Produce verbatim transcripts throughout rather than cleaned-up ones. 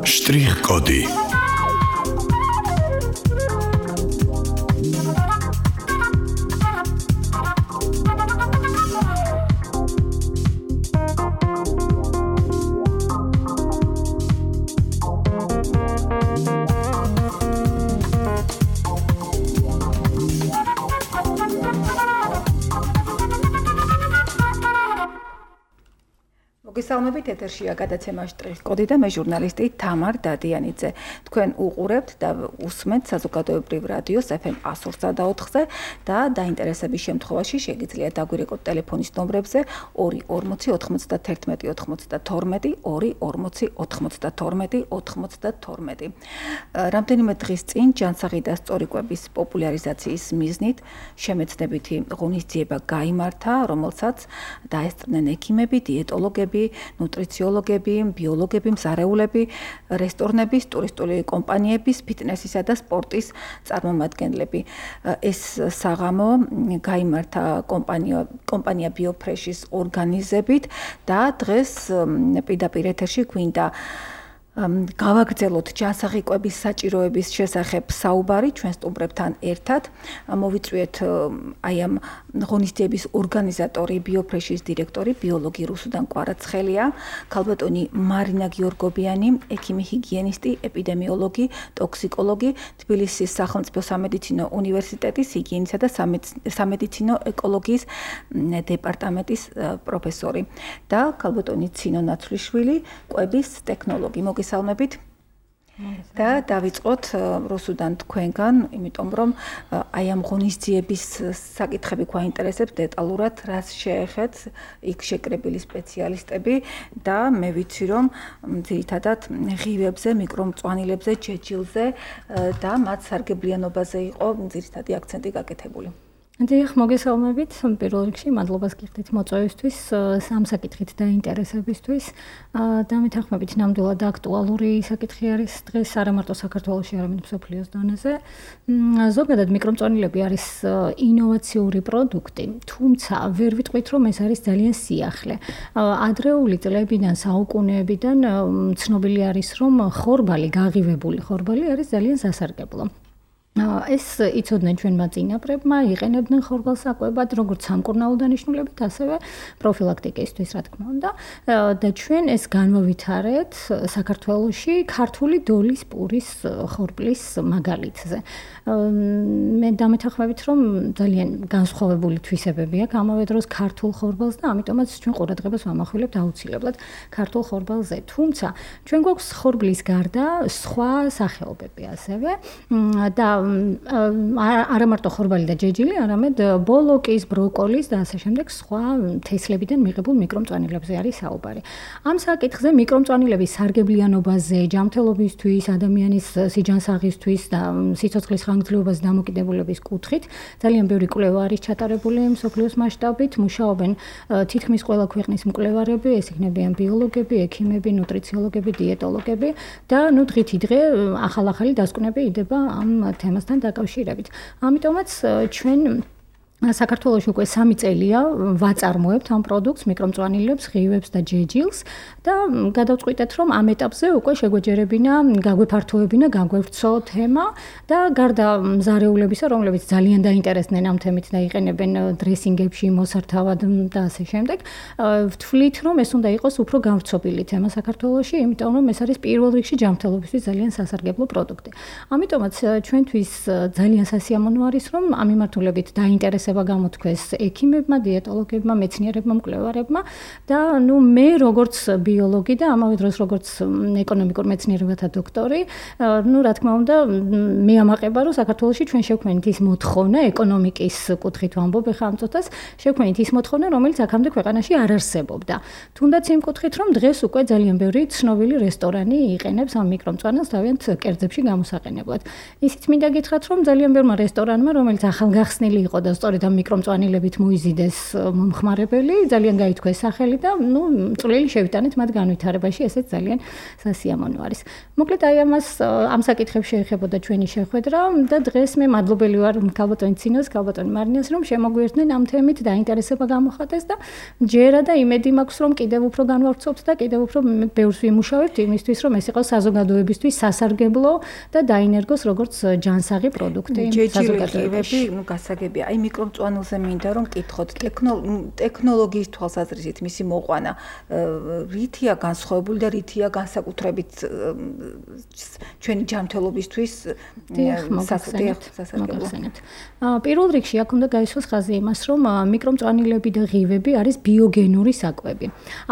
Штрих-коды. მოგესალმებით, ეთერშია გადაცემა შტრიხ-კოდი და მე ჟურნალისტი თამარ დადიანიძე. თქვენ უყურებთ და უსმენთ საზოგადოებრივ რადიოს ეფ ემ one oh four point four-ზე და დაინტერესების შემთხვევაში შეგიძლიათ დაგვირეკოთ ტელეფონის ნომრებზე ორი ორმოცი ოთხმოცდათერთმეტი ოცდათორმეტი ორი ორმოცი ოთხმოცდათორმეტი ოცდათორმეტი. რამდენიმე დღის წინ ჯანსაღი და სწორი კვების პოპულარიზაციის მიზნით შემეცნებითი ღონისძიება გაიმართა, რომელსაც დაესწრნენ ექიმები, დიეტოლოგები, ნუტრიციოლოგები, ბიოლოგები, მზარეულები, რესტორნების, ტურისტული კომპანიების, ფიტნესისა და სპორტის წარმომადგენლები. ეს საღამო გაიმართა კომპანია კომპანია BioFresh-ის ორგანიზებით და დღეს პირდაპირ ეთერში გვინდა გავაგრძელოთ ჯანსაღი კვების საჭიროების შესახებ საუბარი ჩვენ სტუმრებთან ერთად. მოვიწვიეთ აი ამ ღონისძიების ორგანიზატორი, BioFresh-ის დირექტორი, ბიოლოგი რუსუდან კვარაცხელია, ქალბატონი მარინა გიორგობიანი, ექიმი ჰიგიენისტი, ეპიდემიოლოგი, ტოქსიკოლოგი, თბილისის სახელმწიფო სამედიცინო უნივერსიტეტის ჰიგიენისა და სამედიცინო ეკოლოგიის დეპარტამენტის პროფესორი და ქალბატონი ცინო ნაცვლიშვილი, კვების ტექნოლოგი. მოგესალმებით. და დავიწყოთ რუსუდან თქვენგან, იმიტომ რომ აი ამ ღონისძიების საკითხები გვაინტერესებს დეტალურად, რაც შეეხეთ იქ შეკრებილი სპეციალისტები და მე ვიცი რომ ძირითადად ღივებზე, მიკრომწვანილებზე, ჯეჯილზე და მათ სარგებლიანობაზე იყო ძირითადი აქცენტი გაკეთებული. დიახ, მოგესალმებით. პირველ რიგში მადლობას გიხდით მოწვევისთვის, სამ საკითხით დაინტერესებისთვის და მეთანხმებით ნამდვილად აქტუალური საკითხი არის დღეს არა მარტო საქართველოში, არამედ მსოფლიოს დონეზე. ზოგადად მიკრომწვანილები არის ინოვაციური პროდუქტი, თუმცა ვერ ვიტყვით რომ ეს არის ძალიან სიახლე. ადრეული წლებიდან, საუკუნეებიდან ცნობილი არის რომ ხორბალი, გაღივებული ხორბალი არის ძალიან სასარგებლო. ეს იცოდნენ ჩვენმა წინაპრებმა, იყენებდნენ ხორბალს საკვებად, როგორც სამკურნალო დანიშნულებით, ასევე პროფილაქტიკისთვის, რა თქმა უნდა. და ჩვენ ეს განვავითარეთ საქართველოში ქართული დოლის პურის ხორბლის მაგალითზე. მე დამეთანხმებით, რომ ძალიან განსხვავებული თვისებები აქვს ამავე დროს ქართულ ხორბალს და ამიტომაც ჩვენ ყურადღებას ვამახვილებთ აუცილებლად ქართულ ხორბალზე. თუმცა ჩვენ გვაქვს ხორბლის გარდა სხვა სახეობები ასევე და არა მარტო ხორბალი და ჯეჯილი, არამედ ბოლოკის, ბროკოლის და ასე შემდეგ სხვა თესლებიდან მიღებულ მიკრომწვანილებზე არის საუბარი. ამ საკითხზე მიკრომწვანილების სარგებლიანობაზე, ჯანმრთელობისთვის, ადამიანის სიჯანსაღისთვის და სიცოცხლის ხანგრძლივობაზე დამოკიდებულების კუთხით ძალიან ბევრი კვლევა არის ჩატარებული მსოფლიოს მასშტაბით, მუშაობენ თითქმის ყველა ქვეყნის მკვლევარები, ეს იქნებიან ბიოლოგები, ექიმები, ნუტრიციოლოგები, დიეტოლოგები და ნუ დღითი დღე ახალ-ახალი დასკვნები იდება ამ თემასთან დაკავშირებით. ამიტომაც ჩვენ საქართველოში უკვე სამი წელია ვაწარმოებთ ამ პროდუქტს, მიკრომწვანილებს, ღივებს და ჯეჯილს და გადავწყვიტეთ, რომ ამ ეტაპზე უკვე შეგვეჯერებინა, გაგვეფართოებინა, გაგვევრცო თემა და გარდა მზარეულებისა, რომლებიც ძალიან დაინტერესდნენ ამ თემით და იყენებენ დრესინგებში, მოსართავად და ასე შემდეგ, ვთვლით, რომ ეს უნდა იყოს უფრო გავრცობილი თემა საქართველოში, იმიტომ რომ ეს არის პირველ რიგში ჯანმრთელობისთვის ძალიან სასარგებლო პროდუქტი. ამიტომაც ჩვენთვის ძალიან სასიამოვნო არის, რომ ამ მიმართულებით დაინტერესება გამოთქვეს ექიმებმა, დიეტოლოგებმა, მეცნიერებმა, მკვლევარებმა და ნუ მე როგორც ბიოლოგი და ამავე დროს როგორც ეკონომიკურ მეცნიერებათა დოქტორი, ნუ რა თქმა უნდა, მე ამაყება რომ საქართველოში ჩვენ შევქმნით ის მოთხოვნა ეკონომიკის კუთხით ვამბობ ახლა ამ წუთას, შევქმნით ის მოთხოვნა, რომელიც აქამდე ქვეყანაში არ არსებობდა. თუნდაც იმ კუთხით რომ დღეს უკვე ძალიან ბევრი ცნობილი რესტორანი იყენებს ამ მიკრომწვანილს თავიანთ კერძებში გამოსაყენებლად. ისიც მინდა გითხრათ რომ ძალიან ბევრმა რესტორანმა, რომელიც ახალგახსნილი იყო და სწორედ სწორედ ამ მიკრომწვანილებით მოიზიდეს მომხმარებელი, ძალიან გაითქვეს სახელი და ნუ წვლილი შევიტანეთ მათ განვითარებაში, ესეც ძალიან სასიამოვნო არის. მოკლედ აი ამას ამ საკითხებს შეეხებოდა ჩვენი შეხვედრა და დღეს მე მადლობელი ვარ ქალბატონი ცინოს, ქალბატონი მარინას, რომ შემოგვიერთდნენ ამ თემით და ინტერესება გამოხატეს და ჯერა და იმედი მაქვს, რომ კიდევ უფრო განვავრცობთ და კიდევ უფრო ბევრს ვიმუშავებთ იმისთვის, რომ ეს იყოს საზოგადოებისთვის სასარგებლო და დაინერგოს როგორც ჯანსაღი პროდუქტი საზოგადოებაში. ნუ გასაგებია, აი მიკრომწვანილზე მინდა რომ კითხოთ, ტექნოლოგიის თვალსაზრისით მისი მოყვანა რითია განსხვავებული და რითია განსაკუთრებით ჩვენი ჯანმრთელობისთვის სასარგებლო. პირველ რიგში აქ უნდა გაისვას ხაზი იმას, რომ მიკრომწვანილები და ღივები არის ბიოგენური საკვები.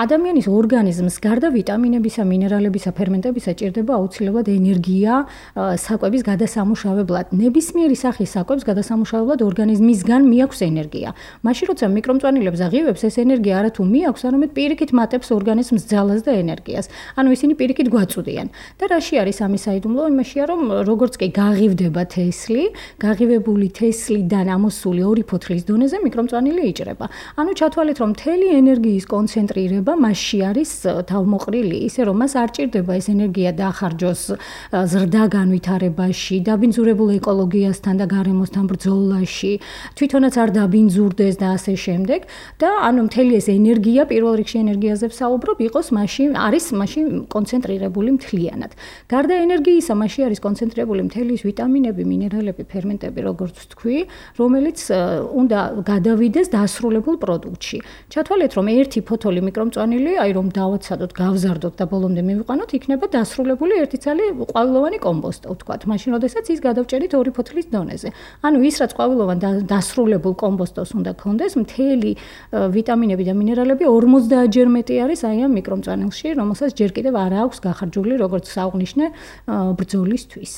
ადამიანის ორგანიზმს გარდა ვიტამინებისა, მინერალებისა, ფერმენტებისა ჭირდება აუცილებლად ენერგია საკვების გადასამუშავებლად. ნებისმიერი სახის საკვებს გადასამუშავებლად ორგანიზმისგან მიაქვს ენერგია. მაშინ როცა მიკრომწვანილებს და ღივებს ეს ენერგია არა თუ მიაქვს, არამედ პირიქით მატებს ორგანიზმს ძალას და ენერგიას. ანუ ისინი პირიქით გვაწვდიან. და რაში არის ამის საიდუმლო? იმაშია, რომ როგორც კი გაღივდება თესლი, გაღივებული თესლიდან ამოსული ორი ფოთლის დონეზე მიკრომწვანილი იჭრება. ანუ ჩათვალეთ, რომ მთელი ენერგიის კონცენტრირება მასში არის თავმოყრილი, ისე რომ მას არ ჭირდება ეს ენერგია დაახარჯოს ზრდა განვითარებაში, დაბინძურებულ ეკოლოგიასთან და გარემოსთან ბრძოლაში, თვითონაც არ დაბინძურდეს და ასე შემდეგ და ანუ მთელი ეს ენერგია, პირველ რიგში ენერგიაზე ვსაუბრობ, იყოს მასში არის მასში კონცენტრირებული მთლიანად. გარდა ენერგიისა, მასში არის კონცენტრირებული მთელი ის ვიტამინები, მინერალები, ფერმენტები, როგორც ვთქვი, რომელიც უნდა გადავიდეს დასრულებულ პროდუქტში. ჩათვალეთ, რომ ერთი ფოთოლი მიკრომწვანილი, აი რომ დავაცადოთ, გავზარდოთ და ბოლომდე მივიყვანოთ, იქნება დასრულებული ერთი ცალი ყვავილოვანი კომბოსტო, ვთქვათ. მაშინ, როდესაც ის გადავჭერით ორი ფოთლის დონეზე. ანუ ის, რაც ყვავილოვან დასრულებულ კომბოსტოს უნდა ქონდეს, მთელი ვიტამინები და მინერალები ორმოცდაათ ჯერ მეტი არის აი ამ მიკრომწვანილში, რომელსაც ჯერ კიდევ არ აქვს გახარჯული, როგორც საღვნიშნე ბრძოლისთვის.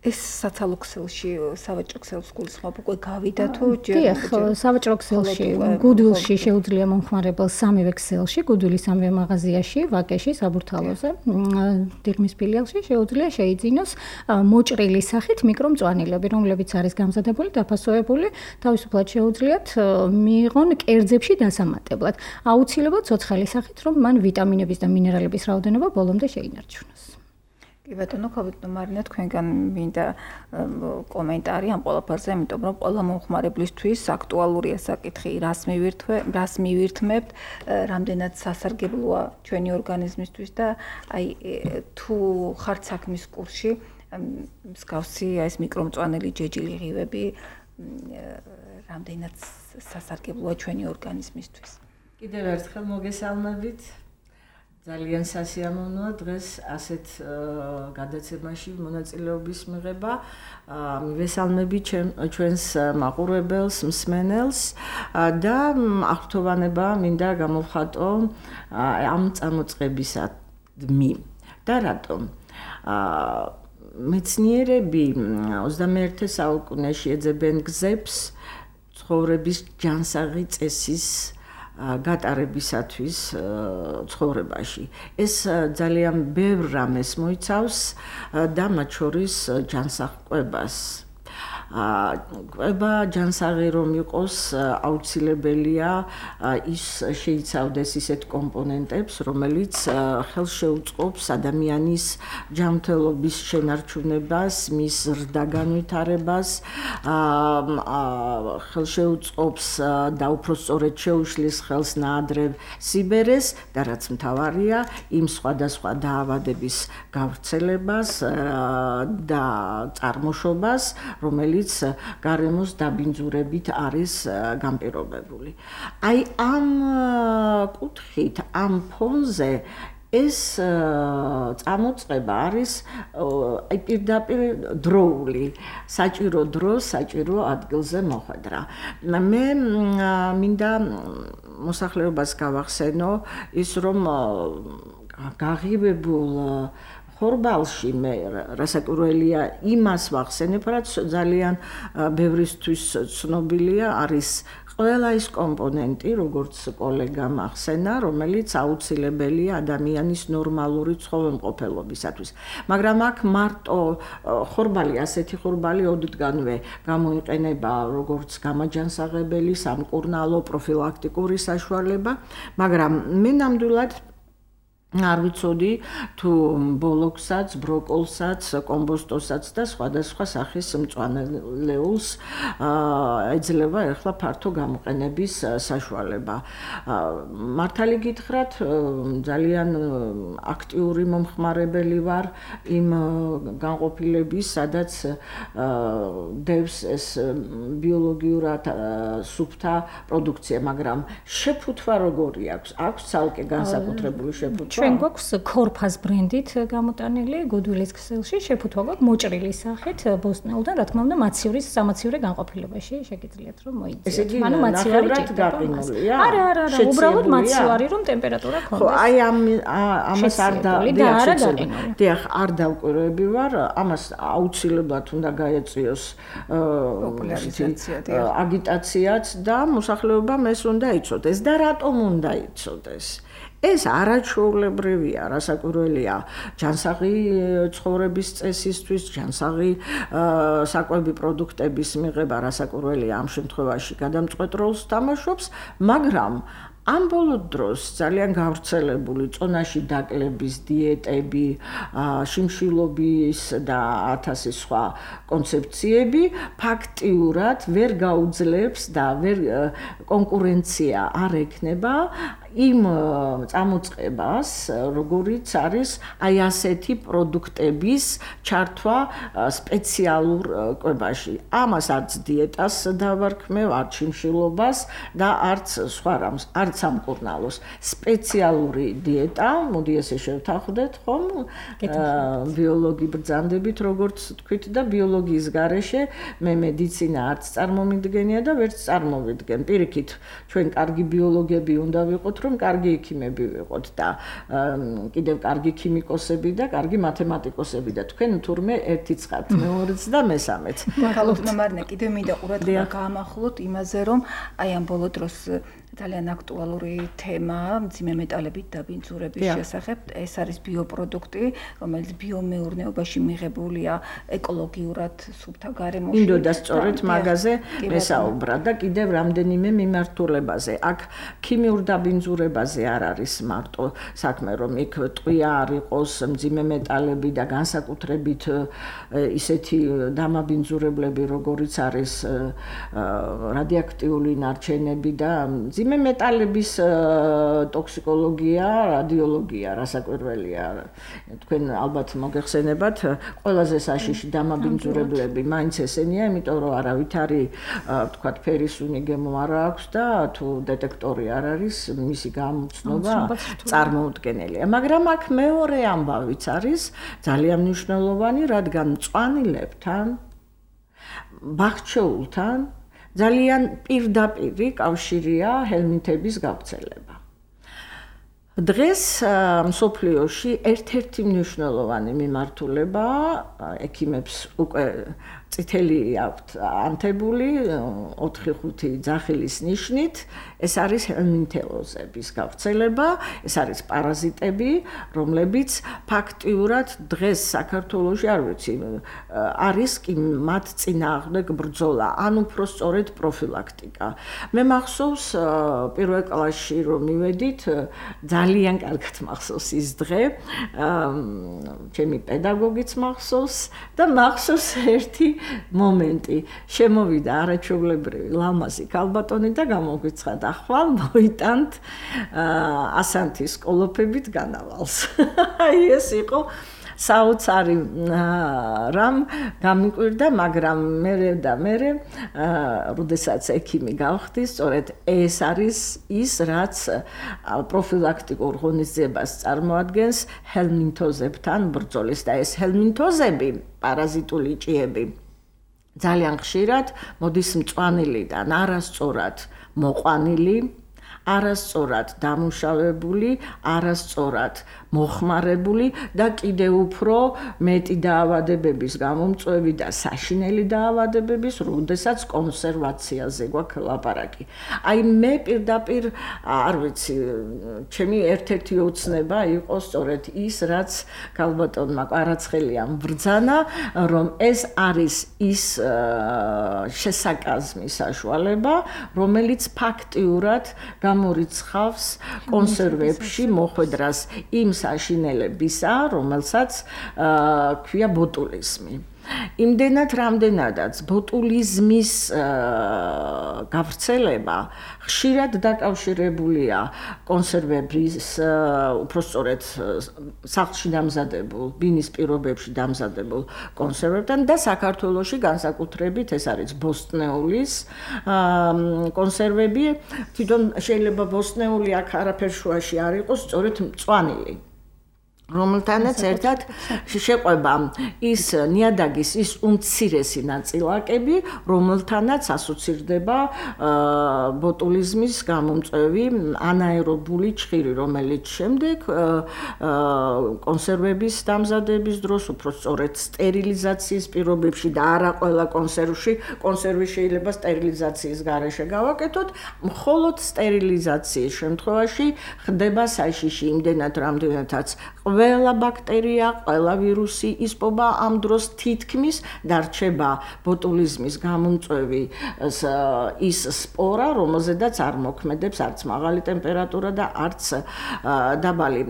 ეს საცალო ქსელში, სავაჭრო ქსელს გულისხმობ, უკვე გავიდა თუ ჯერ? დიახ, სავაჭრო ქსელში, გუდვილში შეუძლია მომხმარებელს სამივე ქსელში, გუდვილის სამივე მაღაზიაში, ვაკეში, საბურთალოზე, დიღმის ფილიალში შეუძლია შეიძინოს მოჭრილი სახით მიკრომწვანილები, რომლებიც არის გამზადებული, დაფასოებული, თავისუფლად შეუძლიათ მიიღონ კერძებში დასამატებლად. აუცილებლად ცოცხალი სახით, რომ მან ვიტამინების და მინერალების რაოდენობა ბოლომდე შეინარჩუნოს. კი ბატონო, ქალბატონო მარინა, თქვენგან მინდა კომენტარი ამ ყველაფერზე, იმიტომ რომ ყველა მომხმარებლისთვის აქტუალურია საკითხი, რას მივირთვე, რას მივირთმევთ, რამდენად სასარგებლოა ჩვენი ორგანიზმისთვის და აი თუ ხართ საქმის კურსში, მსგავსი ეს მიკრომწვანილი ჯეჯილი ღივები რამდენად სასარგებლოა ჩვენი ორგანიზმისთვის. კიდევ ერთხელ მოგესალმებით. ძალიან სასიამოვნოა დღეს ასეთ გადაცემაში მონაწილეობის მიღება. მივესალმები ჩვენს მაყურებელს, მსმენელს და აღფრთოვანება მინდა გამოვხატო ამ წამოწყებისადმი. და რატომ? მეცნიერები ოცდამეერთე საუკუნეში ეძებენ გზებს ცხოვრების ჯანსაღი წესის გატარებისათვის ცხოვრებაში. ეს ძალიან ბევრ რამეს მოიცავს და მათ შორის ჯანსაღ კვებას. კვება ჯანსაღი რომ იყოს, აუცილებელია ის შეიცავდეს ისეთ კომპონენტებს, რომელიც ხელს შეუწყობს ადამიანის ჯანმრთელობის შენარჩუნებას, მის ზრდა განვითარებას, ხელს შეუწყობს და უფრო სწორედ შეუშლის ხელს ნაადრევ სიბერეს და რაც მთავარია, იმ სხვადასხვა დაავადების გავრცელებას და წარმოშობას, რომელიც გარემოს დაბინძურებით არის განპირობებული. აი ამ კუთხით, ამ ფონზე ეს წამოწყება არის აი პირდაპირ დროული, საჭირო დრო, საჭირო ადგილზე მოხვედრა. მე მინდა მოსახლეობას გავახსენო ის, რომ გაღივებულ ხორბალში მე რასაკვირველია იმას ვახსენებ, რაც ძალიან ბევრისთვის ცნობილია, არის ყველა ის კომპონენტი, როგორც კოლეგამ ახსენა, რომელიც აუცილებელია ადამიანის ნორმალური ცხოველმყოფელობისათვის. მაგრამ აქ მარტო ხორბალი, ასეთი ხორბალი ოდითგანვე გამოიყენება როგორც გამაჯანსაღებელი, სამკურნალო, პროფილაქტიკური საშუალება, მაგრამ მე ნამდვილად არ ვიცოდი თუ ბოლოქსაც, ბროკოლსაც, კომბოსტოსაც და სხვადასხვა სახის მწვანეულს ეძლევა ახლა ფართო გამოყენების საშუალება. მართალი გითხრათ, ძალიან აქტიური მომხმარებელი ვარ იმ განყოფილების, სადაც დევს ეს ბიოლოგიურად სუფთა პროდუქცია, მაგრამ შეფუთვა როგორი აქვს? აქვს ცალკე განსაკუთრებული შეფუთვა? ჩვენ გვაქვს ქორფას ბრენდით გამოტანილი გუდვილის ქსელში შეფუთვა გვაქვს მოჭრილი სახით ბოსტნეულთან, რა თქმა უნდა, მაციურის სამაციურე განყოფილებაში შეგიძლიათ რომ მოიძიოთ. ანუ მაციუარი ჭირდება. არა, არა, არა, უბრალოდ მაციუარი რომ ტემპერატურა ქონდეს. ხო, აი ამ ამას არ და დიახ, არ დავკვირვები ვარ, ამას აუცილებლად უნდა გაეწიოს აგიტაციაც და მოსახლეობამ ეს უნდა იცოდეს და რატომ უნდა იცოდეს? ეს არაჩვეულებრივია, რასაკვირველია, ჯანსაღი ცხოვრების წესისთვის, ჯანსაღი საკვები პროდუქტების მიღება, რასაკვირველია, ამ შემთხვევაში გადამწყვეტ როლს თამაშობს, მაგრამ ამ ბოლო დროს ძალიან გავრცელებული წონაში დაკლების დიეტები, შიმშილობის და ათასი სხვა კონცეფციები ფაქტიურად ვერ გაუძლებს და ვერ კონკურენცია არ ექნება იმ წამოწყებას, როგორიც არის აი ასეთი პროდუქტების ჩართვა სპეციალურ კვებაში. ამას არც დიეტას დავარქმევ, არც შიმშილობას და არც სხვა რამს, არც სამკურნალოს. სპეციალური დიეტა, მოდი ესე შევთანხმდეთ, ხომ? ბიოლოგი ბრძანდებით, როგორც თქვით და ბიოლოგიის გარეშე მე მედიცინა არც წარმომიდგენია და ვერც წარმოვიდგენ. პირიქით, ჩვენ კარგი ბიოლოგები უნდა ვიყოთ, რომ კარგი ექიმები ვიყოთ და კიდევ კარგი ქიმიკოსები და კარგი მათემატიკოსები და თქვენ თურმე ერთი ცხადთ, მეორეც და მესამეც. ბაკალავრ მარნე, კიდევ მინდა ყურადღება გაამახვილოთ იმაზე, რომ აი ამ ბოლო დროს ძალიან აქტუალური თემა მძიმე მეტალებით დაბინძურების შესახებ. ეს არის ბიოპროდუქტი, რომელიც ბიომეურნეობაში მიღებულია ეკოლოგიურად სუფთა გარემოში. მინდოდა სწორედ მაგაზე მესაუბრა და კიდევ რამდენიმე მიმართულებაზე. აქ ქიმიურ დაბინძურებაზე არ არის მარტო საქმე, რომ იქ ტყვია არ იყოს, მძიმე მეტალები და განსაკუთრებით ისეთი დამაბინძურებლები, როგორიც არის რადიოაქტიული ნარჩენები და მძიმე მეტალების ტოქსიკოლოგია, რადიოლოგია, რასაკვირველია. თქვენ ალბათ მოგეხსენებათ, ყველაზე საშიში დამაბინძურებლები მაინც ესენია, იმიტომ რომ არავითარი თქვათ ფერისუნი გემო არ აქვს და თუ დეტექტორი არ არის, მისი გამოცნობა წარმოუდგენელია. მაგრამ აქ მეორე ამბავიც არის ძალიან მნიშვნელოვანი, რადგან მწვანილებთან, ბაღჩეულთან ძალიან პირდაპირი კავშირია ჰელმინთების გავრცელება. დღეს მსოფლიოში ერთ-ერთი მნიშვნელოვანი მიმართულება ექიმებს უკვე წითელი აქვთ ანთებული ოთხი ხუთი ძახილის ნიშნით, ეს არის ჰელმინთელოზების გავრცელება, ეს არის პარაზიტები, რომლებიც ფაქტიურად დღეს საქართველოში არ ვიცი, არის კი მათ წინააღმდეგ ბრძოლა, ან უფრო სწორედ პროფილაქტიკა. მე მახსოვს პირველ კლასში რომ მივედით, ძალიან კარგად მახსოვს ის დღე, ჩემი პედაგოგიც მახსოვს და მახსოვს ერთი მომენტი. შემოვიდა არაჩვეულებრივი ლამაზი ქალბატონი და გამოგვიცხადა, ხვალ მოიტანთ ასანთის კოლოფებით განავალს. აი ეს იყო საოცარი რამ გამიკვირდა, მაგრამ მე და მე, როდესაც ექიმი გავხდი, სწორედ ეს არის ის, რაც პროფილაქტიკურ ღონისძიებას წარმოადგენს ჰელმინთოზებთან ბრძოლის და ეს ჰელმინთოზები, პარაზიტული ჭიები, ძალიან ხშირად მოდის მწვანილიდან არასწორად მოყვანილი, არასწორად დამუშავებული, არასწორად მოხმარებული და კიდევ უფრო მეტი დაავადებების გამომწვევი და საშინელი დაავადებების, როდესაც კონსერვაციაზე გვაქვს ლაპარაკი. აი მე პირდაპირ არ ვიცი, ჩემი ერთ-ერთი ოცნება იყო სწორედ ის, რაც ქალბატონმა კვარაცხელიამ ბრძანა, რომ ეს არის ის შესაკაზმი საშუალება, რომელიც ფაქტიურად გამორიცხავს კონსერვებში მოხვედრას იმ საშინელებისა, რომელსაც ქვია ბოტულიზმი. იმდენად რამდენადაც ბოტულიზმის გავრცელება ხშირად დაკავშირებულია კონსერვების უпростоრეთ სახლში დამზადებულ, ბინის პირობებში დამზადებულ კონსერვებთან და საქართველოში განსაკუთრებით ეს არის ბოსტნეულის კონსერვები. თვითონ შეიძლება ბოსტნეული აქ არაფერ შუაში არ იყოს, სწორედ მწვანილი. რომელთანაც ერთად შეყვება ის ნიადაგის ის უმცირესი ნაწილაკები, რომელთანაც ასოცირდება ბოტულიზმის გამომწვევი ანაერობული ჭხირი, რომელიც შემდეგ კონსერვების დამზადების დროს უпростоრეთ სტერილიზაციის პირობებში და არა ყველა კონსერვში, კონსერვი შეიძლება სტერილიზაციის გარეშე გავაკეთოთ, მხოლოდ სტერილიზაციის შემთხვევაში ხდება საშიში იმდენად რამდენადაც ყველა ბაქტერია, ყველა ვირუსი ისპობა ამ დროს თითქმის დარჩება ბოტულიზმის გამომწვევი ის სპორა, რომელზედაც არ მოქმედებს არც მაღალი ტემპერატურა და არც დაბალი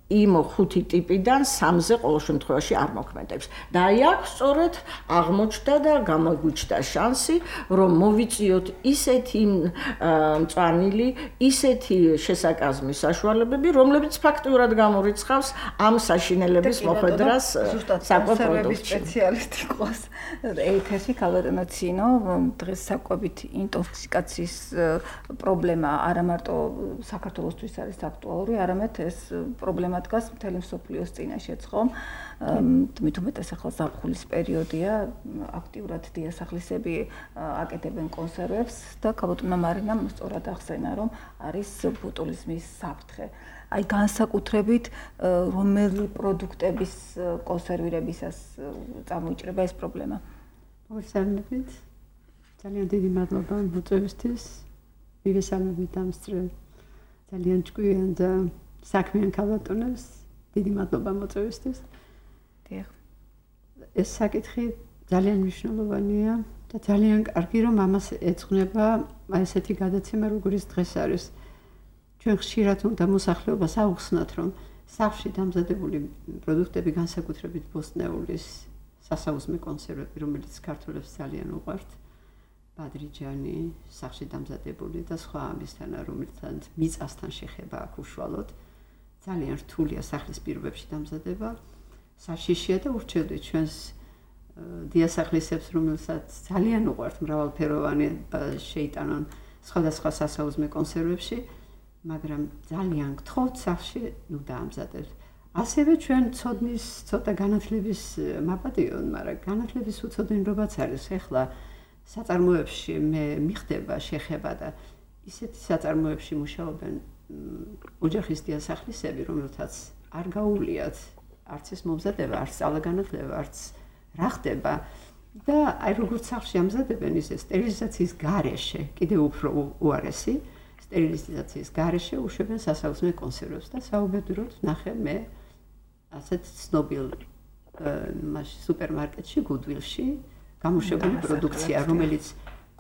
იმ ხუთი ტიპიდან სამზე ყოველ შემთხვევაში არ მოქმედებს. და აი აქ სწორედ აღმოჩნდა და გამოგვიჩნდა შანსი, რომ მოვიწიოთ ისეთი მწვანილი, ისეთი შესაკაზმის საშუალებები, რომლებიც ფაქტიურად გამორიცხავს ამ საშინელების მოხვედრას საკვებპროდუქტში. სპეციალისტი ყავს ეთერში ქალბატონო ცინო, დღეს საკვებით ინტოქსიკაციის პრობლემა არა მარტო საქართველოსთვის არის აქტუალური, არამედ ეს პრობლემა დგას მთელი მსოფლიოს წინაშეც, ხომ? თუმცა უმეტეს ახლა ზაფხულის პერიოდია, აქტიურად დიასახლისები აკეთებენ კონსერვებს და ქალბატონმა მარინამ სწორად ახსენა, რომ არის ბოტულიზმის საფრთხე. აი განსაკუთრებით რომელი პროდუქტების კონსერვირებისას წამოიჭრება ეს პრობლემა? მოგესალმებით. ძალიან დიდი მადლობა მოწვევისთვის. მივესალმებით ამ ძალიან ჭკვიან და საქმიან ქალბატონებს. დიდი მადლობა მოწვევისთვის. დიახ. ეს საკითხი ძალიან მნიშვნელოვანია და ძალიან კარგი რომ ამას ეძღვნება ესეთი გადაცემა როგორიც დღეს არის. ჩვენ ხშირად უნდა მოსახლეობას აუხსნათ, რომ სახლში დამზადებული პროდუქტები განსაკუთრებით ბოსტნეულის სასაუზმე კონსერვები, რომელიც ქართველებს ძალიან უყვართ, ბადრიჯანი, სახლში დამზადებული და სხვა ამისთანა, რომელთანაც მიწასთან შეხება აქვს უშუალოდ. ძალიან რთულია სახლის პირობებში დამზადება. საშიშია და ურჩევდით ჩვენს დიასახლისებს, რომელსაც ძალიან უყვართ მრავალფეროვანი შეიტანონ სხვადასხვა სასაუზმე კონსერვებში, მაგრამ ძალიან გთხოვთ სახლში ნუ დაამზადებთ. ასევე ჩვენ ცოდნის ცოტა განათლების მაპატიონ, მაგრამ განათლების უცოდნელობაც არის. ეხლა საწარმოებში მე მიხდება შეხება და ისეთი საწარმოებში მუშაობენ ოჯახის დიასახლისები, რომელთაც არ გაუვლიათ არც ეს მომზადება, არც სწავლა-განათლება, არც რა ხდება და აი როგორც სახლში ამზადებენ ისე სტერილიზაციის გარეშე, კიდევ უფრო უარესი, სტერილიზაციის გარეშე უშვებენ სასაუზმე კონსერვებს და საუბედუროდ ნახე მე ასეთ ცნობილ სუპერმარკეტში, გუდვილში გამოშვებული პროდუქცია, რომელიც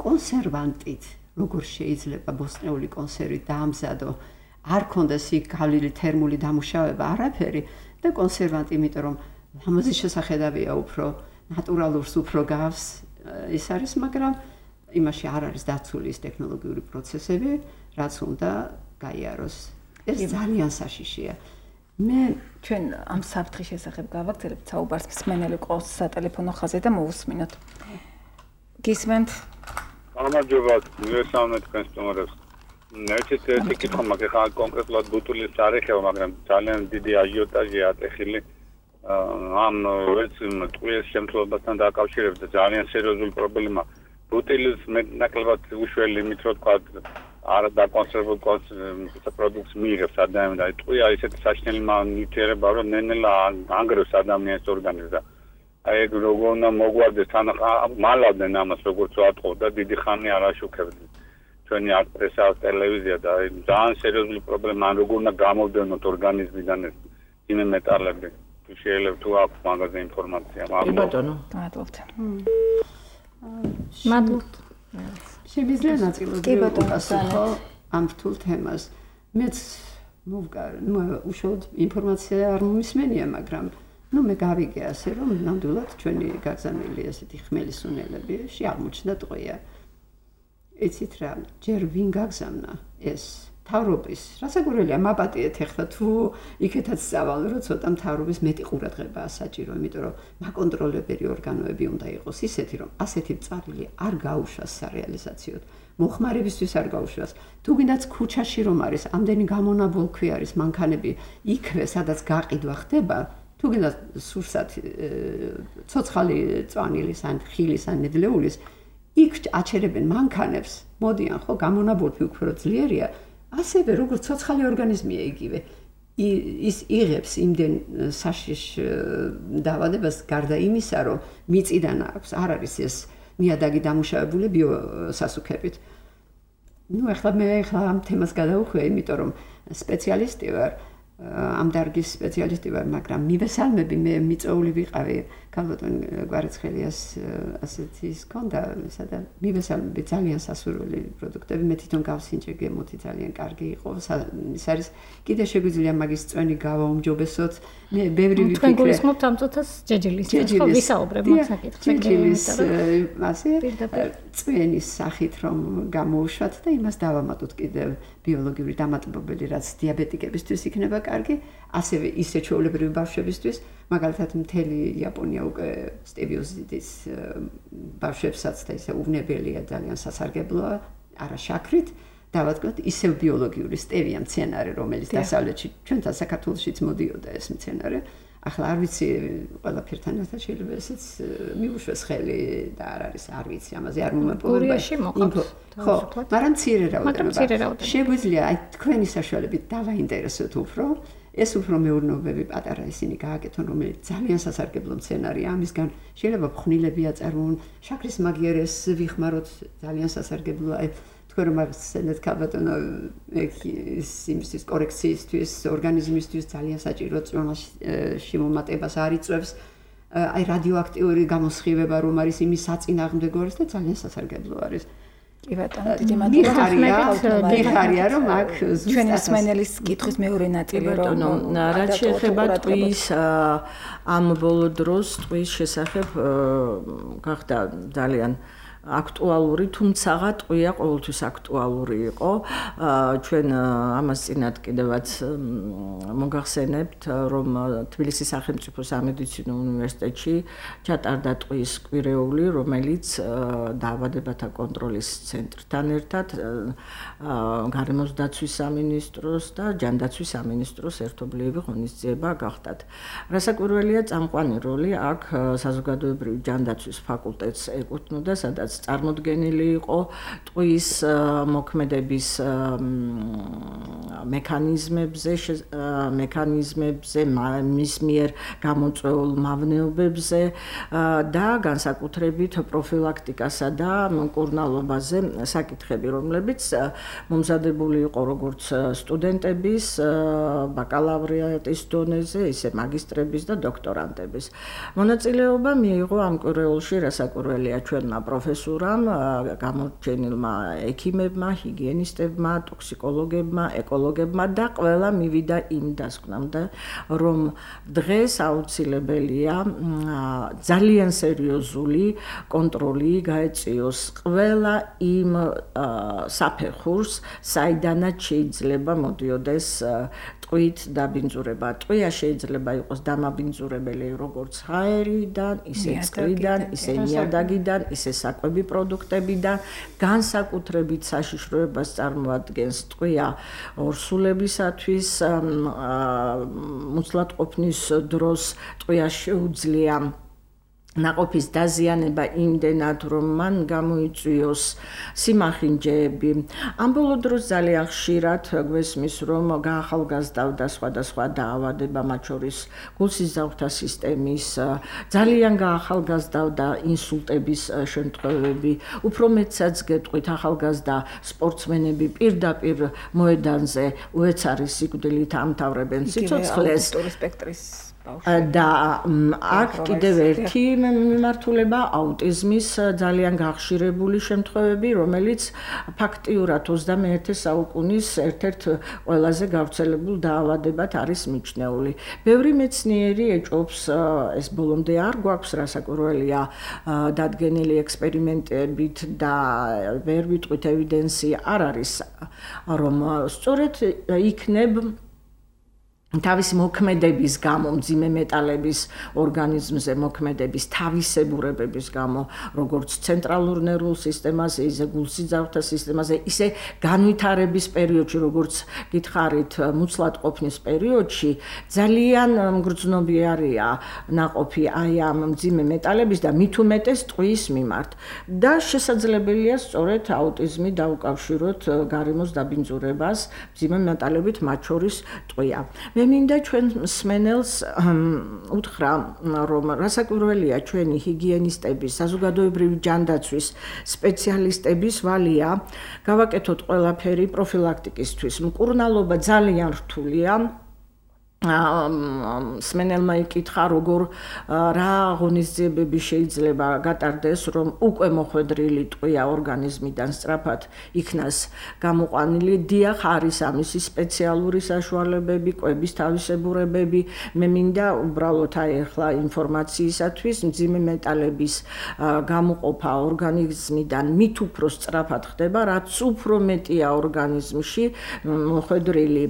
კონსერვანტით როგორ შეიძლება ბოსტნეული კონსერვი დაამზადო, არ ქონდეს იქ გავლილი თერმული დამუშავება, არაფერი და კონსერვანტი, იმიტომ რომ ამაზე შესახედავია უფრო ნატურალურს უფრო გავს ის არის, მაგრამ იმაში არ არის დაცული ის ტექნოლოგიური პროცესები, რაც უნდა გაიაროს. ეს ძალიან საშიშია. მე ჩვენ ამ საფრთხის შესახებ გავაგრძელებთ საუბარს მსმენელი ყავს სატელეფონო ხაზზე და მოусმინოთ. გისმენთ? გამარჯობა, მივესალმეთ თქვენს სტუმრებს. ერთ-ერთი ერთი კითხვა მაქვს, ხა კონკრეტულად ბუტულის არ ეხება, მაგრამ ძალიან დიდი აჟიოტაჟია ატეხილი ამ ვერც ტყუის შემთხვევასთან დაკავშირებით და ძალიან სერიოზული პრობლემა. ბუტილის მეტნაკლებად უშველი იმით, რომ თქვა არა დაკონსერვებულ პროდუქტს მიიღებს ადამიანი და ტყვია ისეთი საშინელი ნივთიერება რომ ნენელა ანგრევს ადამიანის ორგანიზმს და აი ეგ როგორ უნდა მოგვარდეს თან მალავდნენ ამას როგორც ვატყო და დიდი ხანი არ აშუქებდნენ ჩვენი არტესა ტელევიზია და ძალიან სერიოზული პრობლემა ან როგორ უნდა გამოვდევნოთ ორგანიზმიდან ეს იმე მეტალები შეიძლება თუ აქვს მაგაზე ინფორმაცია კი ბატონო მადლობთ მადლობთ შემიძლია ნაწილობრივ უპასუხო ამ რთულ თემას მეც მოვგარ ნუ უშუალოდ ინფორმაცია არ მომისმენია მაგრამ ნუ მე გავიგე ასე რომ ნამდვილად ჩვენი გაგზავნილი ასეთი ხმელისუნელები შეაღმოჩნდა ტყვია იცით რა ჯერ ვინ გაგზავნა ეს მთავრობის რასაკვირველია მაპატიეთ ახლა თუ იქეთაც წავალ რომ ცოტა მთავრობის მეტი ყურადღებაა საჭირო იმიტომ რომ მაკონტროლებერი ორგანოები უნდა იყოს ისეთი რომ ასეთი წერილი არ გაუშვას სარეალიზაციოდ მოხმარებისთვის არ გაუშვას თუ გინდაც ქუჩაში რომ არის ამდენი გამონაბოლქვი არის მანქანები იქვე სადაც გაყიდვა ხდება თუ გინდაც სურსათ ცოცხალი წვანილის ან ხილის ან ნედლეულის იქ აჩერებენ მანქანებს მოდიან ხო გამონაბოლქვი უფრო ძლიერია ასევე როგორც ცოცხალი ორგანიზმია იგივე ის იღებს იმდენ საშიშ დაავადებას გარდა იმისა რომ მიწიდან აქვს არ არის ეს ნიადაგი დამუშავებული ბიოსასუქებით ნუ ახლა მე ახლა ამ თემას გადავუხვე იმიტომ რომ სპეციალისტი ვარ ამ დარგის სპეციალისტი ვარ მაგრამ მივესალმები მე მიწოული ვიყავი ქალბატონ გვარაცხელიას ასეთი ის ქონდა სადა მივესალმები ძალიან სასურველი პროდუქტები მე თვითონ გავსინჯე გემოთი ძალიან კარგი იყო ის არის კიდე შეგვიძლია მაგის წვენი გავაუმჯობესოთ მე ბევრი ვიფიქრე თქვენ გულისხმობთ ამ წუთას ჯეჯილის ხო ვისაუბრებ მაგ საკითხზე ჯეჯილის ასე წვენის სახით რომ გამოუშვათ და იმას დავამატოთ კიდევ ბიოლოგიური დამატებობელი რაც დიაბეტიკებისთვის იქნება კარგი ასევე ისე ჩვეულებრივი ბავშვებისთვის მაგალითად მთელი იაპონია უკვე სტევიოზიდის ბავშვებსაც და ისე უვნებელია ძალიან სასარგებლოა არა შაქრით დავადგოთ ისევ ბიოლოგიური სტევია მცენარე რომელიც დასავლეთში ჩვენთან საქართველოშიც მოდიოდა ეს მცენარე ახლა არ ვიცი ყველაფერთან ერთად შეიძლება ესეც მიუშვეს ხელი და არ არის არ ვიცი ამაზე არ მომეპოვება ხო მაგრამ მცირე რაოდენობა შეგვიძლია აი თქვენი საშუალებით დავაინტერესოთ უფრო ეს უფრო მეურნეობები პატარა ისინი გააკეთონ რომელიც ძალიან სასარგებლო მცენარეა ამისგან შეიძლება ფხვნილები აწარმოონ შაქრის მაგიერეს ვიხმაროთ ძალიან სასარგებლოა აი თქვენ რომ ახსენეთ ქალბატონო ის იმისთვის კორექციისთვის ორგანიზმისთვის ძალიან საჭირო წონაში მომატებას არ იწევს აი რადიოაქტიური გამოსხივება რომ არის იმის საწინააღმდეგო არის და ძალიან სასარგებლო არის კი ბატონო, დიდი მადლობა. მიხარია რომ აქ ჩვენი მსმენელის კითხვის მეორე ნაწილი რომ რაც შეეხება ტყვის ამ ბოლო დროს ტყვის შესახებ გახდა ძალიან აქტუალური, თუმცა ტყვია ყოველთვის აქტუალური იყო. ჩვენ ამას წინათ კიდევაც მოგახსენებთ, რომ თბილისის სახელმწიფო სამედიცინო უნივერსიტეტში ჩატარდა ტყვის კვირეული, რომელიც დაავადებათა კონტროლის ცენტრთან ერთად გარემოს დაცვის სამინისტროს და ჯანდაცვის სამინისტროს ერთობლივი ღონისძიება გახდათ. რასაკვირველია, წამყვანი როლი აქ საზოგადოებრივი ჯანდაცვის ფაკულტეტს ეკუთვნოდა, სადაც წარმოდგენილი იყო ტყვის მოქმედების მექანიზმებზე, მექანიზმებზე, მის მიერ გამოწვეულ მავნეობებზე და განსაკუთრებით პროფილაქტიკასა და მკურნალობაზე საკითხები, რომლებიც მომზადებული იყო როგორც სტუდენტების, ბაკალავრიატის დონეზე, ისე მაგისტრების და დოქტორანტების. მონაწილეობა მიიღო ამ კვირეულში, რასაკვირველია ჩვენმა პროფესორებმა გამორჩენილმა ექიმებმა, ჰიგიენისტებმა, ტოქსიკოლოგებმა, ეკოლოგებმა და ყველა მივიდა იმ დასკვნამდე, რომ დღეს აუცილებელია ძალიან სერიოზული კონტროლი გაეწიოს ყველა იმ საფეხურს, საიდანაც შეიძლება მოდიოდეს ტყვით დაბინძურება. ტყვია შეიძლება იყოს დამაბინძურებელი როგორც ჰაერიდან, ისე წყლიდან, ისე ნიადაგიდან, ისე საკვები პროდუქტებიდან, განსაკუთრებით საშიშროებას წარმოადგენს ტყვია ორსულებისათვის, მუცლად ყოფნის დროს ტყვია შეუძლია ნაყოფის დაზიანება იმდენად, რომ მან გამოიწვიოს სიმახინჯეები. ამ ბოლო დროს ძალიან ხშირად გვესმის, რომ გაახალგაზრდავდა სხვადასხვა დაავადება, მათ შორის გულსიზავთა სისტემის, ძალიან გაახალგაზრდავდა ინსულტების შემთხვევები. უფრო მეტსაც გეტყვით, ახალგაზრდა სპორტსმენები პირდაპირ მოედანზე უეცარი სიკვდილით ამთავრებენ სიცოცხლეს. სპექტრის და აქ კიდევ ერთი მიმართულება აუტიზმის ძალიან გახშირებული შემთხვევები, რომელიც ფაქტიურად ოცდამეერთე საუკუნის ერთ-ერთ ყველაზე გავრცელებულ დაავადებად არის მიჩნეული. ბევრი მეცნიერი ეჭობს, ეს ბოლომდე არ გვაქვს რასაკვირველია დადგენილი ექსპერიმენტებით და ვერ ვიტყვით ევიდენსი არ არის, რომ სწორედ იქნებ თავის მოქმედების გამო, მძიმე მეტალების ორგანიზმზე მოქმედების თავისებურებების გამო, როგორც ცენტრალურ ნერვულ სისტემაზე, ისე გულსიძავთა სისტემაზე, ისე განვითარების პერიოდში, როგორც გითხარით, მუცლად ყოფნის პერიოდში, ძალიან მგრძნობიარეა ნაყოფი აი ამ მძიმე მეტალების და მით უმეტეს ტყუის მიმართ. და შესაძლებელია სწორედ აუტიზმი დაუკავშიროთ გარემოს დაბინძურებას მძიმე მეტალებით, მათ შორის ტყვია. მე მინდა ჩვენ მსმენელს უთხრა, რომ რასაკვირველია ჩვენი ჰიგიენისტების, საზოგადოებრივი ჯანდაცვის სპეციალისტების ვალია გავაკეთოთ ყველაფერი პროფილაქტიკისთვის. მკურნალობა ძალიან რთულია. მსმენელმა იკითხა, როგორ რა ღონისძიებები შეიძლება გატარდეს, რომ უკვე მოხვედრილი ტყვია ორგანიზმიდან სწრაფად იქნას გამოყვანილი. დიახ, არის ამისი სპეციალური საშუალებები, კვების თავისებურებები. მე მინდა უბრალოდ აი ახლა ინფორმაციისათვის მძიმე მეტალების გამოყოფა ორგანიზმიდან მით უფრო სწრაფად ხდება, რაც უფრო მეტია ორგანიზმში მოხვედრილი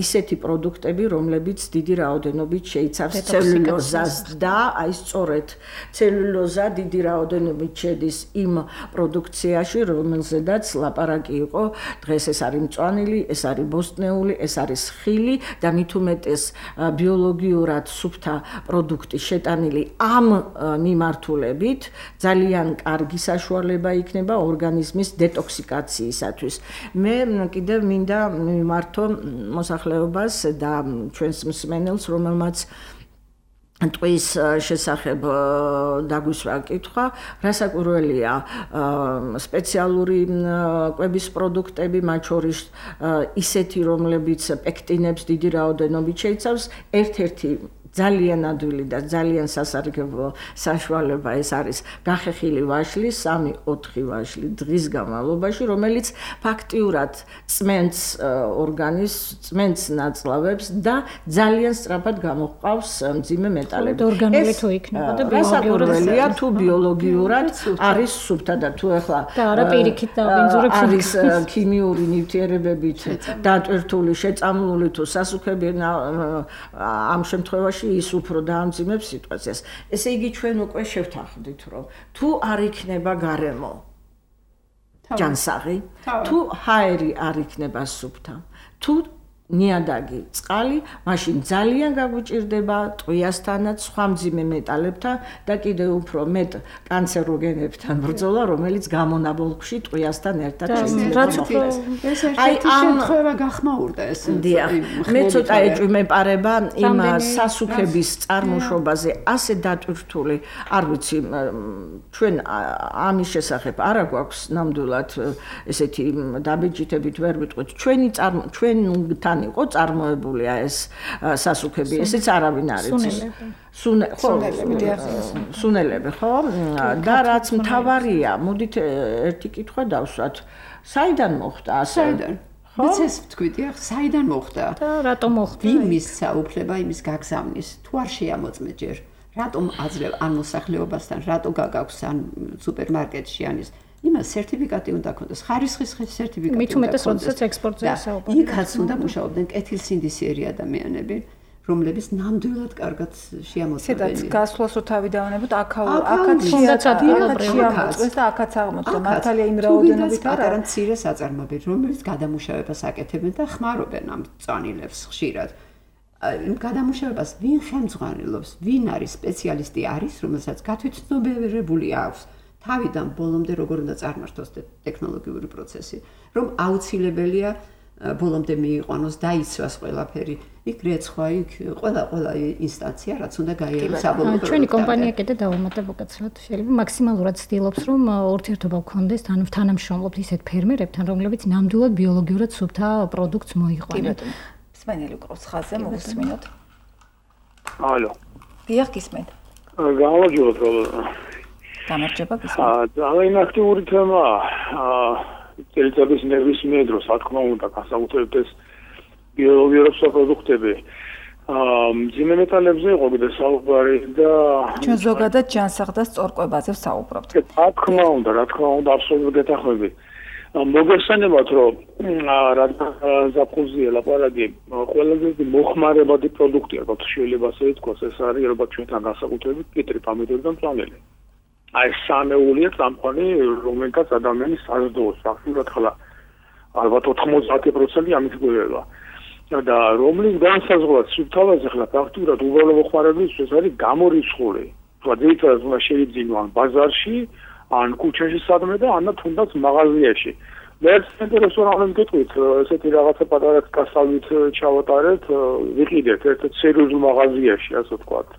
ისეთი პროდუქტები, რომლებიც დიდი რაოდენობით შეიცავს ცელულოზას და აი სწორედ ცელულოზა დიდი რაოდენობით შედის იმ პროდუქციაში, რომელზედაც ლაპარაკი იყო დღეს. ეს არის მწვანილი, ეს არის ბოსტნეული, ეს არის ხილი და მით უმეტეს ბიოლოგიურად სუფთა პროდუქტი შეტანილი ამ მიმართულებით ძალიან კარგი საშუალება იქნება ორგანიზმის დეტოქსიკაციისათვის. მე კიდევ მინდა მიმართო მოსახლეობას და ჩვენს მსმენელს, რომელმაც ტყვის შესახებ დაგვისვა კითხვა, რასაკვირველია სპეციალური კვების პროდუქტები, მათ შორის ისეთი, რომლებიც პექტინებს დიდი რაოდენობით შეიცავს, ერთ-ერთი ძალიან ადვილი და ძალიან სასარგებლო საშუალება ეს არის გახეხილი ვაშლი, სამი ოთხი ვაშლი დღის განმავლობაში, რომელიც ფაქტიურად წმენდს ორგანიზმს, წმენდს ნაწლავებს და ძალიან სწრაფად გამოჰყავს მძიმე მეტალები. ორგანული თუ იქნება და რასაკვირველია თუ ბიოლოგიურად არის სუფთა და თუ ახლა და არა პირიქით დაბინძურებს არის ქიმიური ნივთიერებებით დატვირთული, შეწამლული თუ სასუქები ამ შემთხვევაში ის უფრო დაამძიმებს სიტუაციას. ესე იგი ჩვენ უკვე შევთანხმდით, რომ თუ არ იქნება გარემო ჯანსაღი, თუ ჰაერი არ იქნება სუფთა, თუ ნიადაგი, წყალი, მაშინ ძალიან გაგვიჭირდება ტყვიასთანაც, სხვა მძიმე მეტალებთან და კიდევ უფრო მეტ კანცეროგენებთან ბრძოლა, რომელიც გამონაბოლქვში ტყვიასთან ერთად შეიძლება მოხდეს. აი ამ შემთხვევა გახმაურდა ეს. მე ცოტა ეჭვმეპარება იმ სასუქების წარმოშობაზე ასე დატვირთული, არ ვიცი, ჩვენ ამის შესახებ არა გვაქვს ნამდვილად ესეთი დაბეჭდებით ვერ ვიტყვით. ჩვენი ჩვენთან იყო წარმოებულია ეს სასუქები, ესეც არავინ არ იცის. სუნელები, ხო? და რაც მთავარია, მოდით ერთი კითხვა დავსვათ. საიდან მოხდა ასე? საიდან? ვიც ეს ვთქვით, ახ, საიდან მოხდა? და რატომ მოხდა? ვინ მისცა უფლება იმის გაგზავნის? თუ არ შეამოწმე ჯერ, რატომ აძლევ ან მოსახლეობასთან, რატო გაგაქვს ან სუპერმარკეტში ან ის იმას სერტიფიკატი უნდა ქონდეს, ხარისხის სერტიფიკატი. მით უმეტეს, როდესაც ექსპორტზე საუბარია. იქაც უნდა მუშაობდნენ კეთილსინდისიერი ადამიანები, რომლებიც ნამდვილად კარგად შეამოწმებენ. სადაც გასვლას რო თავი დავანებოთ, აქაო, აქაც შეამოწმეს და აქაც აღმოჩნდა. მართალია იმ რაოდენობით არა. პატარა მცირე საწარმოები, რომელიც გადამუშავებას აკეთებენ და ხმარობენ ამ წვანილებს ხშირად. გადამუშავებას ვინ ხელმძღვანელობს, ვინ არის სპეციალისტი არის, რომელსაც გათვითცნობიერებული აქვს თავიდან ბოლომდე როგორ უნდა წარმართოს ტექნოლოგიური პროცესი, რომ აუცილებელია ბოლომდე მიიყვანოს, დაიცვას ყველაფერი. იქ რეცხვა, იქ ყველა ყველა ინსტანცია რაც უნდა გაიაროს საბოლოო პროდუქტი. ჩვენი კომპანია კიდე დავუმატებ უკაცრავად, შეიძლება მაქსიმალურად ცდილობს, რომ ურთიერთობა გქონდეს თან თანამშრომლობთ ისეთ ფერმერებთან, რომლებიც ნამდვილად ბიოლოგიურად სუფთა პროდუქტს მოიყვანენ. სმენელი უკრავს ხაზზე, მოგესმინოთ. ალო. დიახ, გისმენთ. გამარჯობათ. გამარჯობა, გისმენთ. აა, ძალიან აქტიური თემაა. აა, წელიწადის ნებისმიერ დროს, რა თქმა უნდა, განსაკუთრებით ეს ბიოლოგიურად სუფთა პროდუქტები. აა, მძიმე მეტალებზე იყო კიდე საუბარი და ჩვენ ზოგადად ჯანსაღ და სწორკვებაზე ვსაუბრობთ. რა თქმა უნდა, რა თქმა უნდა, აბსოლუტურად გეთანხმები. მოგესალმებათ, რომ რა ზაფხულზეა ლაპარაკი, ყველაზე მოხმარებადი პროდუქტი, ალბათ შეიძლება ასე ითქვას, ეს არის ალბათ ჩვენთან განსაკუთრებით კიტრი, პომიდორი და მწვანელი. აი სამეულია წამყვანი, რომელთაც ადამიანი საზრდოობს, ფაქტურად ხლა ალბათ ოთხმოცდაათი პროცენტი ამით გვერდება. და რომლის განსაზღვრად სუფთავაზე ხლა ფაქტურად უბრალო მოხმარებისთვის არის გამორიცხული. თქვა ძირითადად უნდა შეიძლება ან ბაზარში, ან ქუჩაში სადმე და ან თუნდაც მაღაზიაში. მეც ინტერესურია მგეთქვით, ესეთი რაღაცა პატარა გასავლით ჩავატარეთ, ვიყიდეთ ერთ-ერთ სერიოზულ მაღაზიაში, ასე ვთქვათ,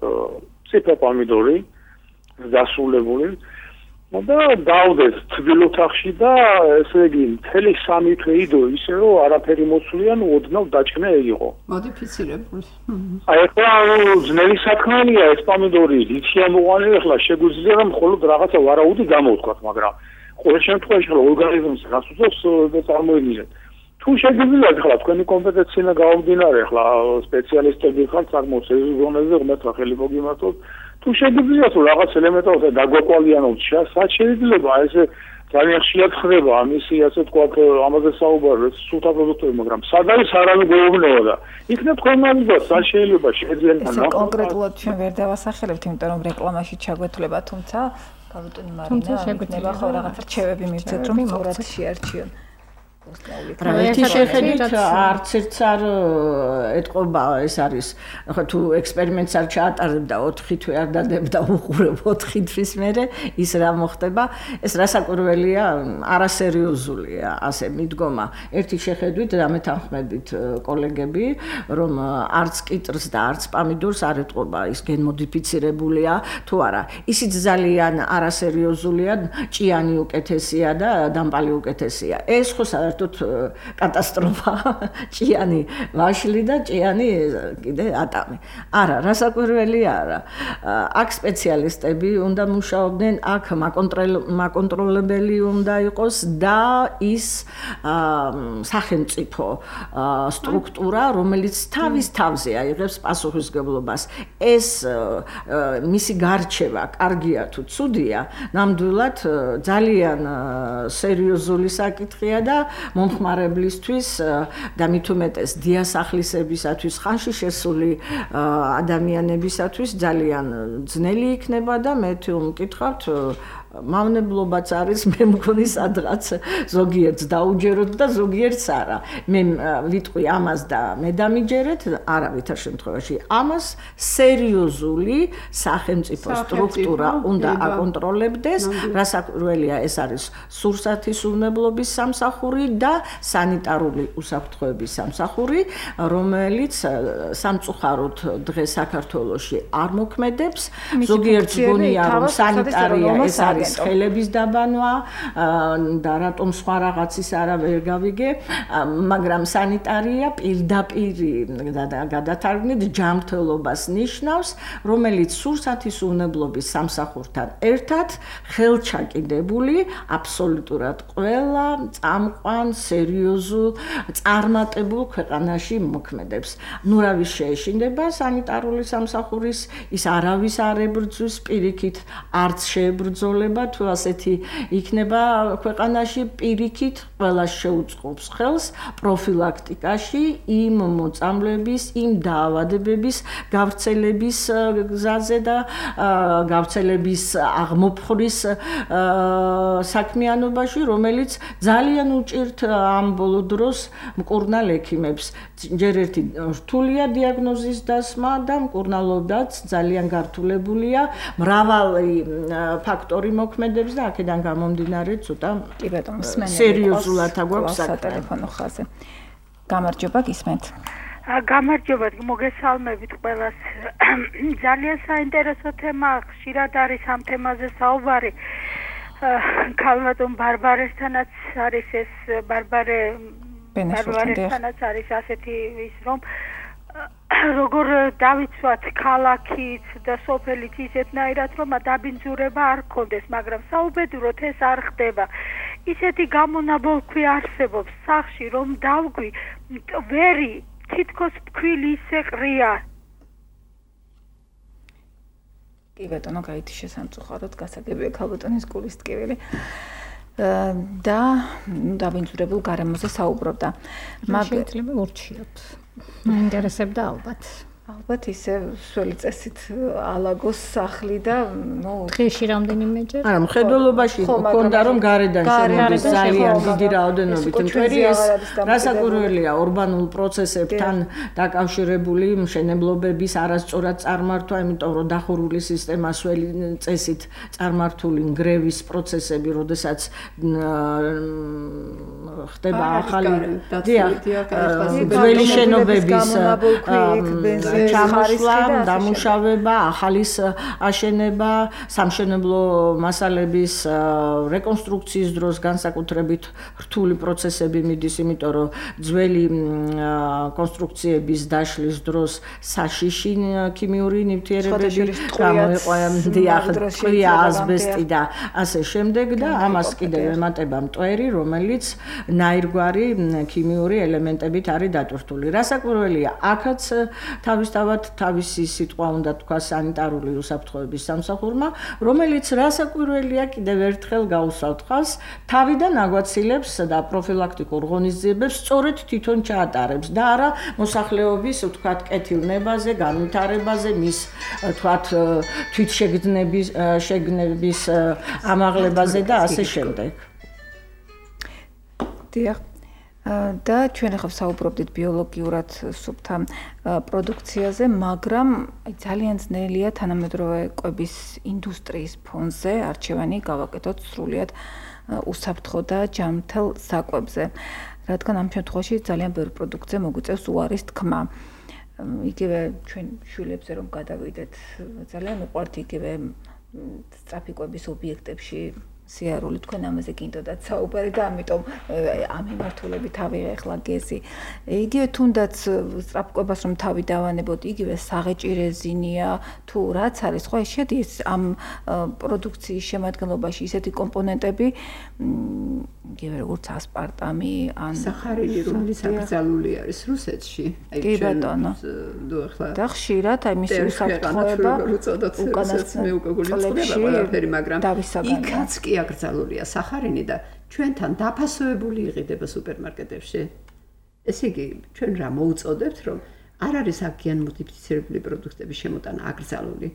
ციფრა პომიდორი დასრულებული და დავდეს თბილ ოთახში და ესე იგი მთელი სამი თვე იდო ისე რომ არაფერი მოსვლიან ოდნავ დაჭკნე იყო. მოდიფიცირებული. აი ახლა ძნელი საქმეა ეს პომიდორი, იცი ამოყანილი ახლა შეგვიძლია რომ მხოლოდ რაღაცა ვარაუდი გამოვთქვათ, მაგრამ ყოველ შემთხვევაში ახლა ორგანიზმს რას უწევს და წარმოიდგინეთ. თუ შეგიძლიათ ახლა თქვენი კომპეტენცია გამომდინარე ახლა სპეციალისტები ხართ საკმაოდ ეს ზონაზე ღმერთმა ხელი მოგიმართოთ. თუ შეგიძლიათ რომ რაღაც ელემენტებზე დაგვაკვალიანოთ, სად შეიძლება ესე ძალიან ხშირად ხდება ამისი ასე თქვა ამაზე საუბარი სუფთა პროდუქტები, მაგრამ სად არის არავინ გვეუბნება და იქნებ თქვენ მაგას სად შეიძლება შეძენ და კონკრეტულად ჩვენ ვერ დავასახელებთ, იმიტომ რომ რეკლამაში ჩაგვეთვლება, თუმცა გავიტონი მარინა, შეგვიძლია ხო რაღაცა რჩევები მივცეთ, რომ სწორად შეარჩიონ. პროექტი შეხედით არც ერთს არ ეთყობა ეს არის ხო თუ ექსპერიმენტს არ ჩაატარებ და ოთხი თვე არ დადებ და უყურებ ოთხი თვის მერე ის რა მოხდება ეს რასაკვირველია არასერიოზულია ასე მიდგომა ერთი შეხედვით დამეთანხმებით კოლეგები რომ არც კიტრს და არც პომიდორს არ ეთყობა ის გენმოდიფიცირებულია თუ არა ისიც ძალიან არასერიოზულია ჭიანი უკეთესია და დამპალი უკეთესია ეს ხო კატასტროფა ჭიანი ვაშლი და ჭიანი კიდე ატამი. არა, რასაკვირველია არა. აქ სპეციალისტები უნდა მუშაობდნენ, აქ მაკონტროლებელი უნდა იყოს და ის სახელმწიფო სტრუქტურა, რომელიც თავის თავზე აიღებს პასუხისმგებლობას. ეს მისი გარჩევა კარგია თუ ცუდია, ნამდვილად ძალიან სერიოზული საკითხია და მომხმარებლისთვის და მით უმეტეს დიასახლისებისათვის ხანში შესული ადამიანებისათვის ძალიან ძნელი იქნება და მე თუ მკითხავთ მავნებლობაც არის მე მგონი სადღაც ზოგიერთს დაუჯეროთ და ზოგიერთს არა. მე ვიტყვი ამას და მე დამიჯერეთ, არა ვითარ შემთხვევაში. ამას სერიოზული სახელმწიფო სტრუქტურა უნდა აკონტროლებდეს, რასაკვირველია ეს არის სურსათის უვნებლობის სამსახური და სანიტარული უსაფრთხოების სამსახური, რომელიც სამწუხაროდ დღეს საქართველოში არ მოქმედებს. ზოგიერთს გონია რომ სანიტარია ეს არის ხელების დაბანვა და რატომ სხვა რაღაცის არა ვერ გავიგე, მაგრამ სანიტარია პირდაპირ გადათარგმნით ჯანმრთელობას ნიშნავს, რომელიც სურსათის უვნებლობის სამსახურთან ერთად ხელჩაკიდებული აბსოლუტურად ყველა წამყვან სერიოზულ წარმატებულ ქვეყანაში მოქმედებს. ნუ რავის შეეშინდება სანიტარული სამსახურის ის არავის არ ებრძვის პირიქით არც შეებრძოლება გამარჯვება თუ ასეთი იქნება ქვეყანაში პირიქით ყველა შეუწყობს ხელს პროფილაქტიკაში იმ მოწამლების, იმ დაავადებების გავრცელების გზაზე და გავრცელების აღმოფხვრის საქმიანობაში, რომელიც ძალიან უჭირთ ამ ბოლო დროს მკურნალ ექიმებს. ჯერ ერთი რთულია დიაგნოზის დასმა და მკურნალობაც ძალიან გართულებულია მრავალი ფაქტორი მოქმედებს და აქედან გამომდინარე ცოტა კი ბატონო მსმენელი სერიოზულად აგვაქვს სატელეფონო ხაზზე. გამარჯობა გისმენთ. გამარჯობა მოგესალმებით ყველას. ძალიან საინტერესო თემა ხშირად არის ამ თემაზე საუბარი. ქალბატონ ბარბარესთანაც არის ეს ბარბარე ბარბარესთანაც არის ასეთი ის რომ როგორ დავიცვათ ქალაქით და სოფელით ისეთნაირად რომ დაბინძურება არ გქონდეს, მაგრამ საუბედუროდ ეს არ ხდება. ისეთი გამონაბოლქვი არსებობს სახში რომ დავგვი ვერი თითქოს ფქვილი ისე ყრია. კი ბატონო, გაითი შესამწუხაროდ გასაგებია ქალბატონის გულის ტკივილი. და დაბინძურებულ გარემოზე საუბრობდა. მაგრამ შეიძლება ურჩიოთ. მაინტერესებდა ალბათ. ალბათ ისე სველი წესით ალაგოს სახლი და ნუ დღეში რამდენიმეჯერ. არა, მხედველობაში გქონდა რომ გარედან შემოდის ძალიან დიდი რაოდენობით მტვერი ეს რასაკვირველია урბანულ პროცესებთან დაკავშირებული მშენებლობების არასწორად წარმართვა, იმიტომ რომ დახურული სისტემა სველი წესით წარმართული ნგრევის პროცესები, როდესაც ხდება ახალი ძველი შენობების ჩამოშლა, დამუშავება, ახალის აშენება, სამშენებლო მასალების რეკონსტრუქციის დროს განსაკუთრებით რთული პროცესები მიდის, იმიტომ რომ ძველი კონსტრუქციების დაშლის დროს საშიში ქიმიური ნივთიერებები გამოიყვა, დიახ, ასბესტი და ასე შემდეგ და ამას კიდევ ემატება მტვერი, რომელიც ნაირგვარი ქიმიური ელემენტებით არის დატვირთული. რასაკვირველია, აქაც თავისთავად თავისი სიტყვა უნდა თქვა სანიტარული უსაფრთხოების სამსახურმა, რომელიც რასაკვირველია კიდევ ერთხელ გაუსვავთ ხაზს, თავიდან აგვაცილებს და პროფილაქტიკურ ღონისძიებებს სწორედ თვითონ ჩაატარებს და არა მოსახლეობის ვთქვათ კეთილნებაზე, განვითარებაზე, მის ვთქვათ თვითშეგნების შეგნების ამაღლებაზე და ასე შემდეგ. დიახ. და ჩვენ ახლა საუბრობდით ბიოლოგიურად სუფთა პროდუქციაზე, მაგრამ ძალიან ძნელია თანამედროვე კვების ინდუსტრიის ფონზე არჩევანი გავაკეთოთ სრულიად უსაფრთხო და ჯანმრთელ საკვებზე, რადგან ამ შემთხვევაში ძალიან ბევრი პროდუქცია მოგვიწევს უარის თქმა. იგივე ჩვენ შვილებზე რომ გადავიდეთ, ძალიან უყვართ იგივე სწრაფი კვების ობიექტებში სიარული, თქვენ ამაზე გინდოდათ საუბარი და ამიტომ ამ მიმართულებით ავიღე ახლა გეზი. იგივე თუნდაც სწრაფკვებას რომ თავი დავანებოთ, იგივე საღეჭი რეზინია თუ რაც არის, ხო შედის ამ პროდუქციის შემადგენლობაში ისეთი კომპონენტები, იგივე როგორც ასპარტამი, ან სახარინი, რომელიც აკრძალული არის რუსეთში. კი ბატონო. და ხშირად აი მისი უსაფრთხოება უკანასკნელი მე უკვე გულისხმობა ყველაფერი, მაგრამ იქაც კი აკრძალულია სახარინი და ჩვენთან დაფასოებული იყიდება სუპერმარკეტებში. ესე იგი, ჩვენ რა მოუწოდებთ, რომ არ არის აქ გენ მოდიფიცირებული პროდუქტების შემოტანა აკრძალული.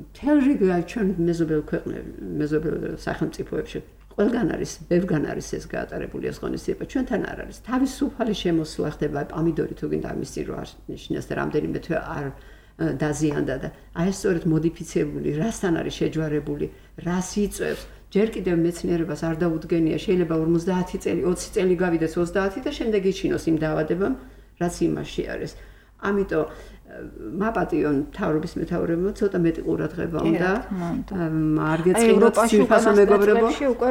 მთელ რიგ ჩვენ მეზობელ ქვეყნებში, მეზობელ სახელმწიფოებში ყველგან არის, ბევრგან არის ეს გაატარებული ეს ღონისძიება, ჩვენთან არ არის. თავისუფალი შემოსვლა ხდება პომიდორი თუ გინდა მისი რო არ ნიშნავს და რამდენიმე თვე არ დაზიანდა და აი ეს სწორედ მოდიფიცირებული, რასთან არის შეჯვარებული, რას იწვევს. ჯერ კიდევ მეცნიერებას არ დაუდგენია, შეიძლება ორმოცდაათი წელი, ოცი წელი გავიდეს ოცდაათი და შემდეგ იჩინოს იმ დაავადებამ, რაც იმაში არის. ამიტომ მაპატიონ მთავრობის მეთაურებმა ცოტა მეტი ყურადღება უნდა. არ გეწყინოთ ძირფასო მეგობრებო,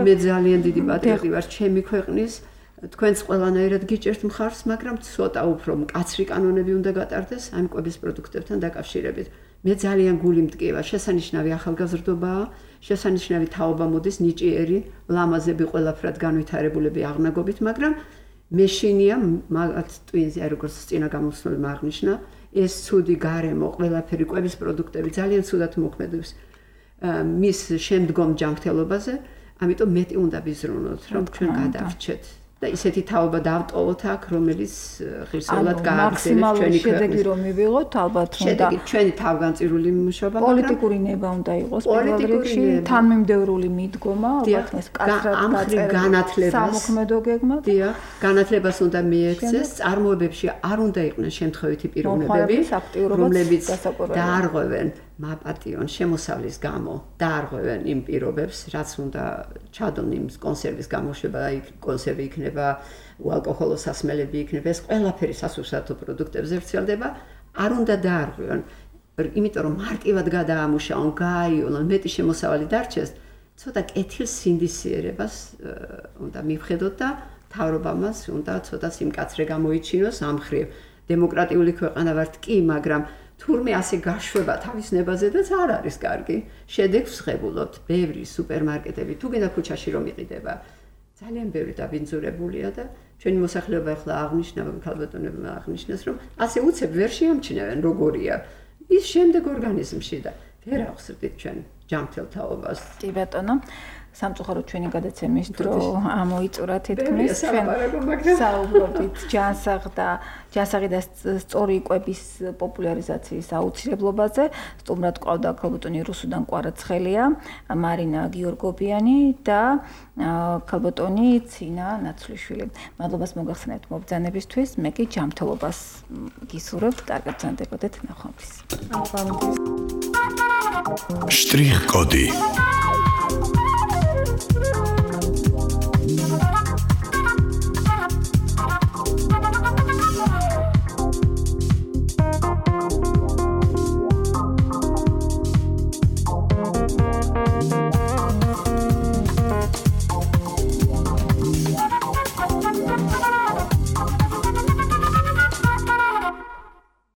მე ძალიან დიდი პატრიოტი ვარ ჩემი ქვეყნის. თქვენც ყველანაირად გიჭერთ მხარს, მაგრამ ცოტა უფრო მკაცრი კანონები უნდა გატარდეს ამ კვების პროდუქტებთან დაკავშირებით. მე ძალიან გული მტკივა, შესანიშნავი ახალგაზრდობაა, შესანიშნავი თაობა მოდის, ნიჭიერი, ლამაზები ყველაფრად განვითარებულები აღნაგობით, მაგრამ მეშინია მაგათ ტვინზე, როგორც წინა გამოსვლელმა აღნიშნა, ეს ცუდი გარემო, ყველაფერი კვების პროდუქტები ძალიან ცუდად მოქმედებს. მის შემდგომ ჯანმრთელობაზე, ამიტომ მეტი უნდა ვიზრუნოთ, რომ ჩვენ გადავრჩეთ. და ისეთი თაობა დავტოვოთ აქ, რომელიც ღირსეულად გააგრძელებს ჩვენი შედეგი რომ მივიღოთ, ალბათ უნდა შედეგი ჩვენი თავგანწირული მუშაობა, პოლიტიკური ნება უნდა იყოს პირველ რიგში, თანმიმდევრული მიდგომა, ალბათ ეს კაცრად დაწერილი სამოქმედო გეგმა. დიახ, განათლებას უნდა მიექცეს, წარმოებებში არ უნდა იყვნენ შემთხვევითი პიროვნებები, რომლებიც დაარღვევენ მაპატიონ შემოსავლის გამო დაარღვევენ იმ პირობებს, რაც უნდა ჩადონ იმ კონსერვის გამოშვება, აი კონსერვი იქნება, უალკოჰოლო სასმელები იქნება, ეს ყველაფერი სასურსათო პროდუქტებზე ვრცელდება, არ უნდა დაარღვევენ, იმიტომ რომ მარტივად გადაამუშავონ, გააიოლონ, მეტი შემოსავალი დარჩეს, ცოტა კეთილსინდისიერებას უნდა მივხედოთ და მთავრობამაც უნდა ცოტა სიმკაცრე გამოიჩინოს ამ მხრივ. დემოკრატიული ქვეყანა ვართ კი, მაგრამ თურმე ასე გაშვება თავის ნებაზედაც არ არის კარგი. შედეგს ვღებულობთ, ბევრი სუპერმარკეტები თუ გინდა ქუჩაში რომ იყიდება, ძალიან ბევრი დაბინძურებულია და ჩვენი მოსახლეობა ახლა აღნიშნა, ქალბატონებმა აღნიშნეს, რომ ასე უცებ ვერ შეამჩნევენ როგორია ის შემდეგ ორგანიზმში და ვერ ახსოვდით ჩვენ ჯანმრთელ თაობას. კი ბატონო, სამწუხაროდ ჩვენი გადაცემის დრო ამოიწურა თითქმის, ჩვენ საუბრობთ ჯანსაღ და ჯანსაღი და სწორი იკვების პოპულარიზაციის აუცილებლობაზე. სტუმრად ყავდა ქალბატონი რუსუდან კვარაცხელია, მარინა გიორგობიანი და ქალბატონი ცინა ნაცვლიშვილი. მადლობას მოგახსენებთ მობრძანებისთვის, მე კი ჯანმრთელობას გისურვებთ, კარგად ბრძანდებოდეთ, ნახვამდის. შტრიხ კოდი